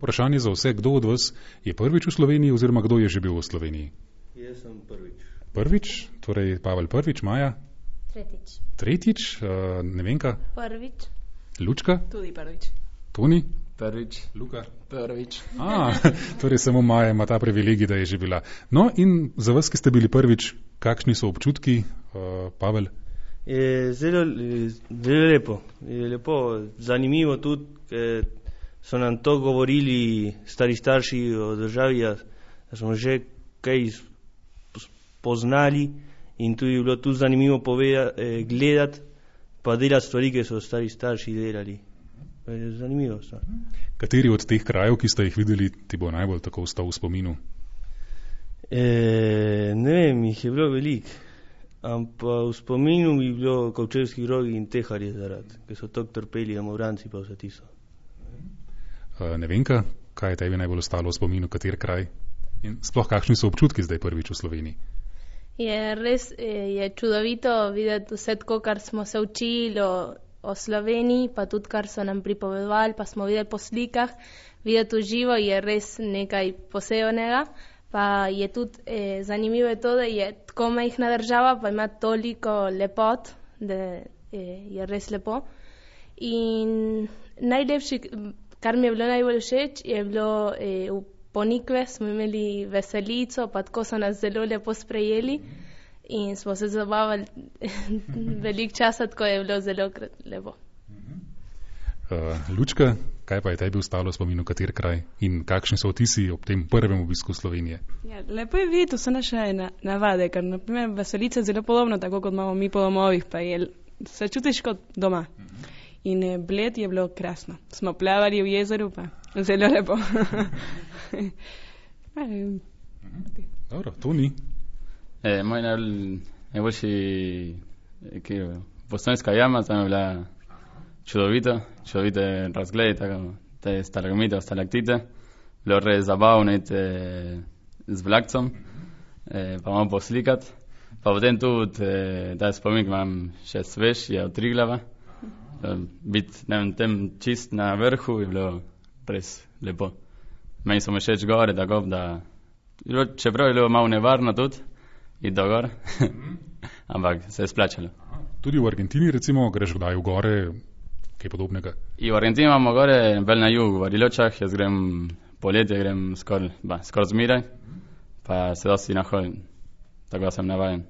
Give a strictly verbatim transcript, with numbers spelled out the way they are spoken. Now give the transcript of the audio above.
Vprašanje za vse, kdo od vas je prvič v Sloveniji oziroma kdo je že bil v Sloveniji? Jaz sem prvič. Prvič, torej Pavel prvič, Maja? Tretjič. Tretjič, uh, Nevenka? Prvič. Lučka? Tudi prvič. Toni? Prvič. Luka? Prvič. A, torej samo Maja ima ta privilegij, da je že bila. No in za vas, ki ste bili prvič, kakšni so občutki, uh, Pavel? Je zelo, zelo lepo. Je lepo, zanimivo tudi, ker so nam to govorili stari starši o državi, da smo že kaj poznali in tudi je bilo tu zanimivo povedati, eh, gledati pa delati stvari, ki so stari starši delali. Je zanimivo. So. Kateri od teh krajev, ki ste jih videli, ti bo najbolj tako ostal v spominu? E, ne vem, jih je bilo veliko, ampak v spominu mi je bilo Kovčevski rogi in Teharje zaradi, ker so tako trpeli, Amovranci pa vse tisto. Uh, Nevenka, kaj je tebi najbolj ostalo v spominu, kater kraj? In sploh kakšni so občutki zdaj prvič v Sloveniji? Je res je čudovito videti vse tako, kar smo se učili o, o Sloveniji, pa tudi kar so nam pripovedovali, pa smo videli po slikah. Videti v živo je res nekaj posebnega. Pa je tudi eh, zanimivo je to, da je tako majhna država, pa ima toliko lepot, da eh, je res lepo. In najlepši, kar mi je bilo najbolj všeč, je bilo eh, v Ponikve, smo imeli veselico, pa tako so nas zelo lepo sprejeli in smo se zabavali veliko časa, tako je bilo zelo lepo. Uh, Lučka, kaj pa je tebi ostalo v spominu, kater kraj in kakšni so vtisi ob tem prvem obisku Slovenije? Ja, lepo je videti vse naše na, navade, ker naprimer veselica je zelo podobno, tako kot imamo mi po domovih, pa je, se čutiš kot doma. In eh, Bled je bilo krasno. Smo plavali v jezeru, pa zelo lepo. Dobro, to ni. E, moj najboljši Bosanska jama, tam je bila čudovito, čudovite razglede, tako te stalagmite, stalaktite. Bilo res zabavno iti z vlakcom, e, pa malo poslikat. Pa potem tudi, e, da spomin imam še svež, je od Triglava. E, biti, ne vem, tem čist na vrhu je bilo res lepo. Meni so me všeč gore, da gob, da čeprav je bilo malo nevarno tudi, iti do gor, ampak se je splačalo. Tudi v Argentini recimo greš kdaj v gore, kaj podobnega? I v Argentini imamo gore, bolj na jugu, v Bariločah, jaz grem poletje, grem skor, ba, skor zmiraj, pa se dosti nahodim, tako da sem navajen.